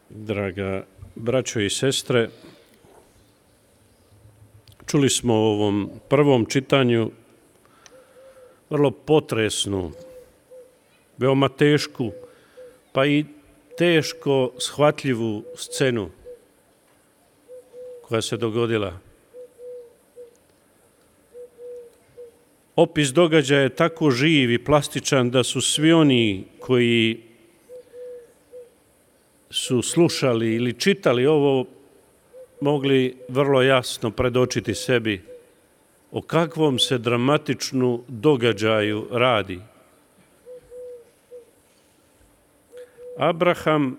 Draga braćo i sestre, čuli smo u ovom prvom čitanju vrlo potresnu, veoma tešku, pa i teško shvatljivu scenu koja se dogodila. Opis događaja je tako živ i plastičan da su svi oni koji su slušali ili čitali ovo mogli vrlo jasno predočiti sebi o kakvom se dramatičnu događaju radi. Abraham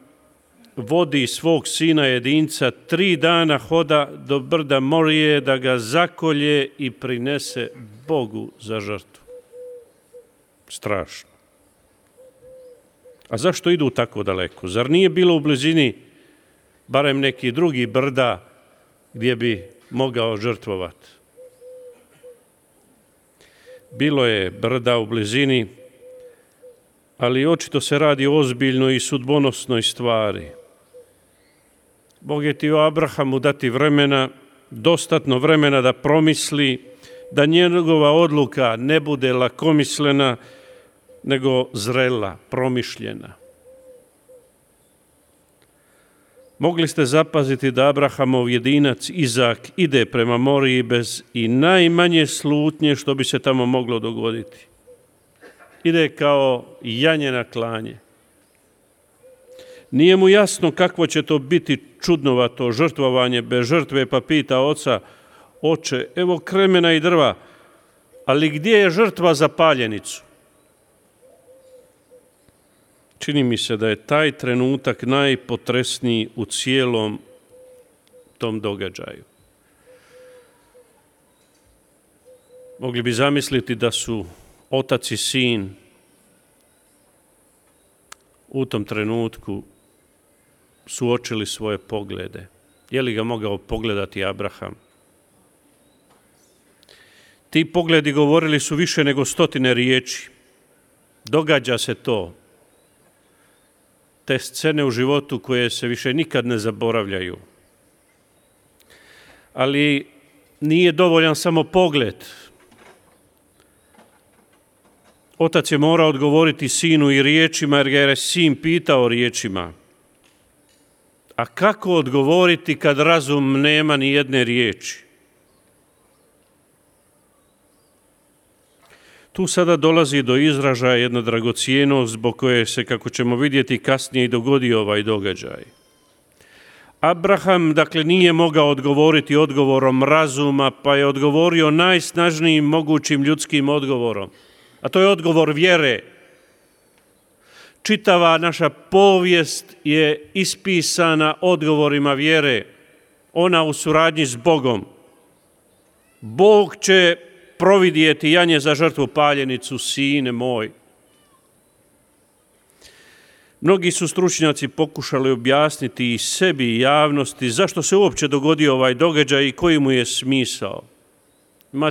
vodi svog sina jedinca 3 dana hoda do brda Morije da ga zakolje i prinese Bogu za žrtvu. Strašno. A zašto idu tako daleko? Zar nije bilo u blizini barem neki drugi brda gdje bi mogao žrtvovati? Bilo je brda u blizini, ali očito se radi o ozbiljnoj i sudbonosnoj stvari. Bog je htio Abrahamu dati vremena, dostatno vremena da promisli, da njegova odluka ne bude lakomislena, nego zrela, promišljena. Mogli ste zapaziti da Abrahamov jedinac Izak ide prema Moriji bez i najmanje slutnje što bi se tamo moglo dogoditi. Ide kao janje na klanje. Nije mu jasno kakvo će to biti čudnovato žrtvovanje bez žrtve, pa pita oca: oče, evo kremena i drva, ali gdje je žrtva za paljenicu? Čini mi se da je taj trenutak najpotresniji u cijelom tom događaju. Mogli bi zamisliti da su otac i sin u tom trenutku suočili svoje poglede. Je li ga mogao pogledati Abraham? Ti pogledi govorili su više nego 100 riječi. Događa se to. Te scene u životu koje se više nikad ne zaboravljaju. Ali nije dovoljan samo pogled. Otac je morao odgovoriti sinu i riječima, jer ga je sin pitao riječima. A kako odgovoriti kad razum nema ni jedne riječi? Tu sada dolazi do izražaja jedna dragocjenost zbog koje se, kako ćemo vidjeti kasnije, i dogodio ovaj događaj. Abraham, dakle, nije mogao odgovoriti odgovorom razuma, pa je odgovorio najsnažnijim mogućim ljudskim odgovorom. A to je odgovor vjere. Čitava naša povijest je ispisana odgovorima vjere. Ona u suradnji s Bogom. Bog će providjeti janje za žrtvu paljenicu, sine moj. Mnogi su stručnjaci pokušali objasniti i sebi i javnosti zašto se uopće dogodio ovaj događaj i koji mu je smisao.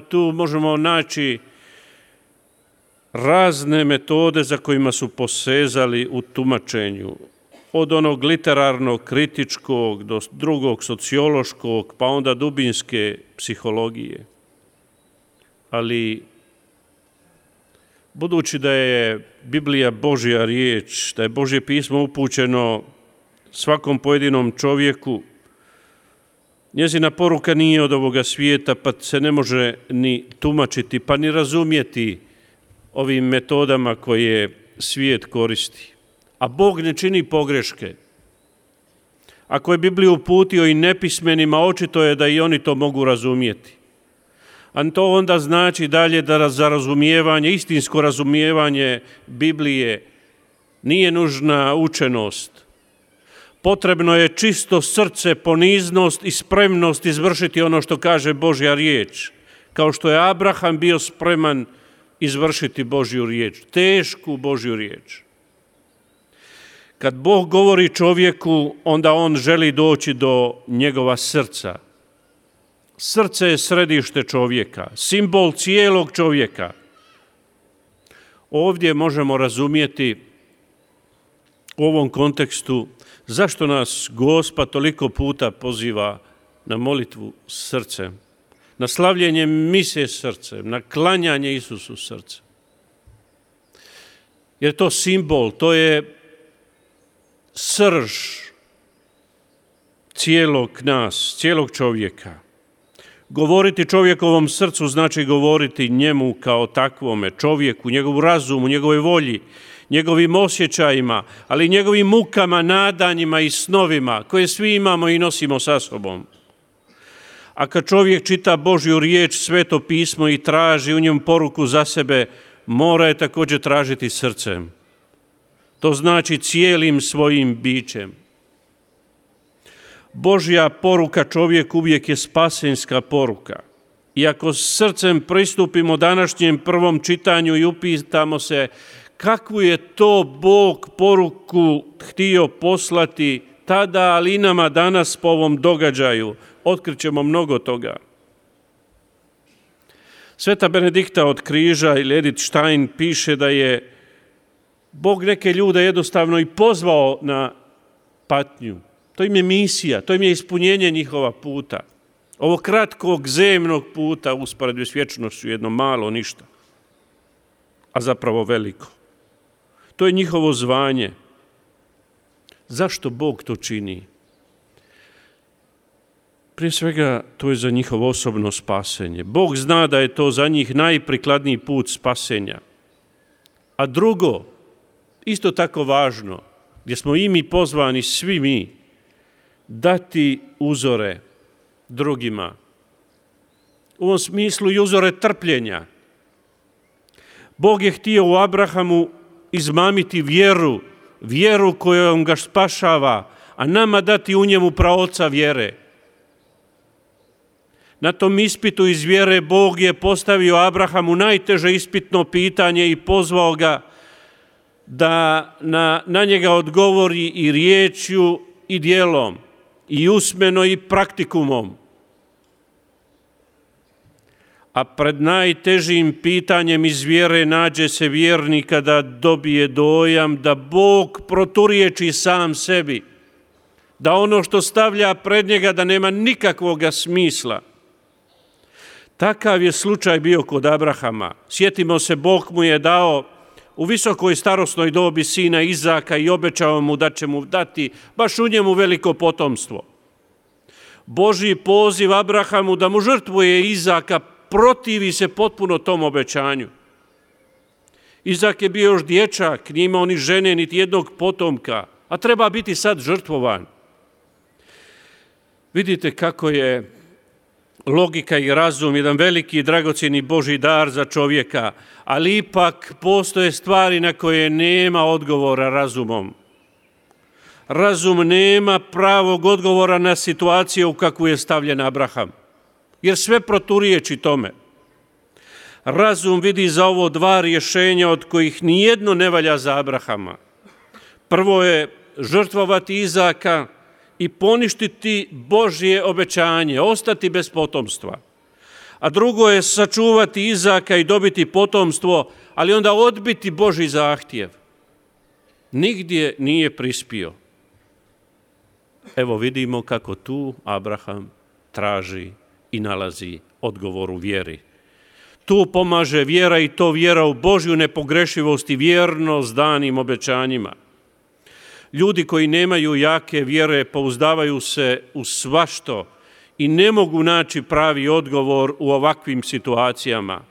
Tu možemo naći razne metode za kojima su posezali u tumačenju. Od onog literarnog, kritičkog, do drugog sociološkog, pa onda dubinske psihologije. Ali budući da je Biblija Božja riječ, da je Božje pismo upućeno svakom pojedinom čovjeku, njezina poruka nije od ovoga svijeta, pa se ne može ni tumačiti, pa ni razumjeti ovim metodama koje svijet koristi. A Bog ne čini pogreške. Ako je Bibliju uputio i nepismenima, očito je da i oni to mogu razumjeti. A to onda znači dalje da za razumijevanje, istinsko razumijevanje Biblije nije nužna učenost. Potrebno je čisto srce, poniznost i spremnost izvršiti ono što kaže Božja riječ. Kao što je Abraham bio spreman izvršiti Božju riječ, tešku Božju riječ. Kad Bog govori čovjeku, onda on želi doći do njegova srca. Srce je središte čovjeka, simbol cijelog čovjeka. Ovdje možemo razumjeti u ovom kontekstu zašto nas Gospod toliko puta poziva na molitvu srcem, na slavljenje mise srcem, na klanjanje Isusu srcem. Jer to simbol, to je srž cijelog nas, cijelog čovjeka. Govoriti čovjekovom srcu znači govoriti njemu kao takvome čovjeku, njegovu razumu, njegovoj volji, njegovim osjećajima, ali i njegovim mukama, nadanjima i snovima koje svi imamo i nosimo sa sobom. A kad čovjek čita Božju riječ, Sveto pismo i traži u njemu poruku za sebe, mora je također tražiti srcem. To znači cijelim svojim bićem. Božja poruka čovjeku uvijek je spasenska poruka. I ako srcem pristupimo današnjem prvom čitanju i upitamo se kakvu je to Bog poruku htio poslati tada, ali i nama danas po ovom događaju, otkrićemo mnogo toga. Sveta Benedikta od križa ili Edith Stein piše da je Bog neke ljude jednostavno i pozvao na patnju. To im je misija, to im je ispunjenje njihova puta. Ovo kratkog zemnog puta usporedbi s vječnošću, jedno malo ništa, a zapravo veliko. To je njihovo zvanje. Zašto Bog to čini? Prije svega, to je za njihovo osobno spasenje. Bog zna da je to za njih najprikladniji put spasenja. A drugo, isto tako važno, gdje smo i mi pozvani, svi mi, dati uzore drugima. U ovom smislu i uzore trpljenja. Bog je htio u Abrahamu izmamiti vjeru kojom ga spašava, a nama dati u njemu praoca vjere. Na tom ispitu iz vjere Bog je postavio Abrahamu najteže ispitno pitanje i pozvao ga da na njega odgovori i riječju i djelom, i usmeno i praktikumom. A pred najtežim pitanjem iz vjere nađe se vjernika da dobije dojam da Bog proturječi sam sebi, da ono što stavlja pred njega da nema nikakvog smisla. Takav je slučaj bio kod Abrahama. Sjetimo se, Bog mu je dao u visokoj starosnoj dobi sina Izaka i obećao mu da će mu dati baš u njemu veliko potomstvo. Božji poziv Abrahamu da mu žrtvuje Izaka protivi se potpuno tom obećanju. Izak je bio još dječak, nije imao ni žene, niti jednog potomka, a treba biti sad žrtvovan. Vidite kako je logika i razum jedan veliki i dragocjeni Božji dar za čovjeka, ali ipak postoje stvari na koje nema odgovora razumom. Razum nema pravog odgovora na situaciju u kakvu je stavljen Abraham, jer sve proturječi tome. Razum vidi za ovo dva rješenja od kojih nijedno ne valja za Abrahama. Prvo je žrtvovati Izaka i poništiti Božje obećanje, ostati bez potomstva. A drugo je sačuvati Izaka i dobiti potomstvo, ali onda odbiti Božji zahtjev. Nigdje nije prispio. Evo vidimo kako tu Abraham traži i nalazi odgovor u vjeri. Tu pomaže vjera i to vjera u Božju nepogrešivost i vjernost danim obećanjima. Ljudi koji nemaju jake vjere pouzdavaju se u svašto i ne mogu naći pravi odgovor u ovakvim situacijama.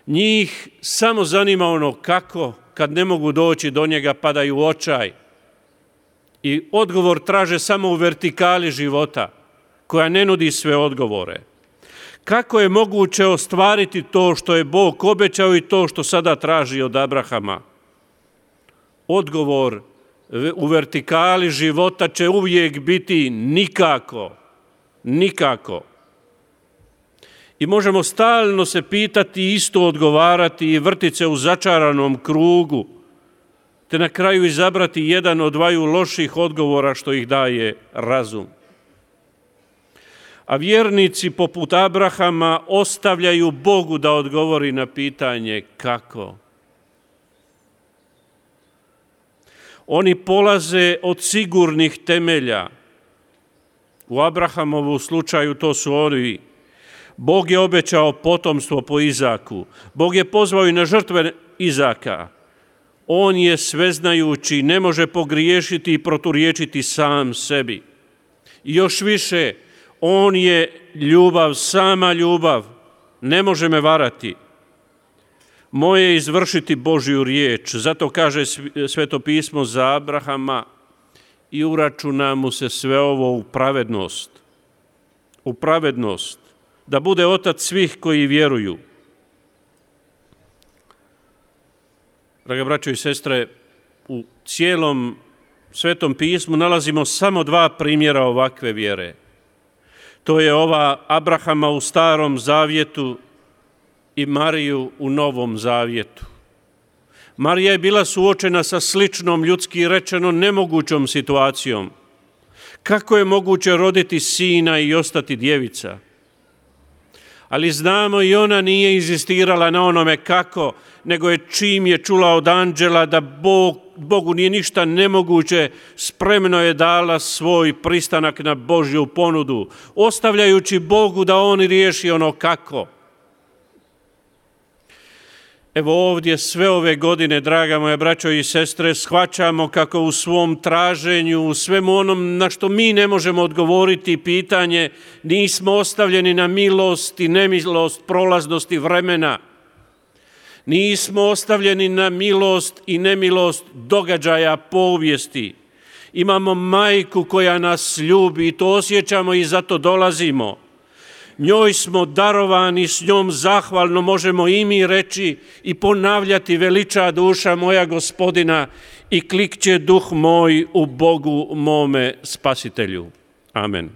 Njih samo zanima ono kako, kad ne mogu doći do njega, padaju u očaj. I odgovor traže samo u vertikali života, koja ne nudi sve odgovore. Kako je moguće ostvariti to što je Bog obećao i to što sada traži od Abrahama? Odgovor u vertikali života će uvijek biti nikako. Nikako. I možemo stalno se pitati i isto odgovarati i vrtiti se u začaranom krugu, te na kraju izabrati jedan od dvaju loših odgovora što ih daje razum. A vjernici poput Abrahama ostavljaju Bogu da odgovori na pitanje kako. Oni polaze od sigurnih temelja. U Abrahamovu slučaju to su oni. Bog je obećao potomstvo po Izaku. Bog je pozvao i na žrtve Izaka. On je sveznajući, ne može pogriješiti i proturječiti sam sebi. I još više, on je ljubav, sama ljubav. Ne može me varati. Moje je izvršiti Božju riječ. Zato kaže Sveto pismo za Abrahama i uračuna mu se sve ovo u pravednost. U pravednost. Da bude otac svih koji vjeruju. Draga braćo i sestre, u cijelom Svetom pismu nalazimo samo dva primjera ovakve vjere. To je ova Abrahama u Starom zavjetu i Mariju u Novom zavjetu. Marija je bila suočena sa sličnom, ljudski rečeno, nemogućom situacijom. Kako je moguće roditi sina i ostati djevica? Ali znamo i ona nije inzistirala na onome kako, nego je čim je čula od anđela da Bogu nije ništa nemoguće, spremno je dala svoj pristanak na Božju ponudu, ostavljajući Bogu da on riješi ono kako. Evo ovdje sve ove godine, draga moja braćo i sestre, shvaćamo kako u svom traženju, u svemu onom na što mi ne možemo odgovoriti pitanje, nismo ostavljeni na milost i nemilost prolaznosti vremena. Nismo ostavljeni na milost i nemilost događaja povijesti. Imamo majku koja nas ljubi i to osjećamo i zato dolazimo. Njoj smo darovani, s njom zahvalno možemo i mi reći i ponavljati: veliča duša moja Gospodina i klikće duh moj u Bogu mome Spasitelju. Amen.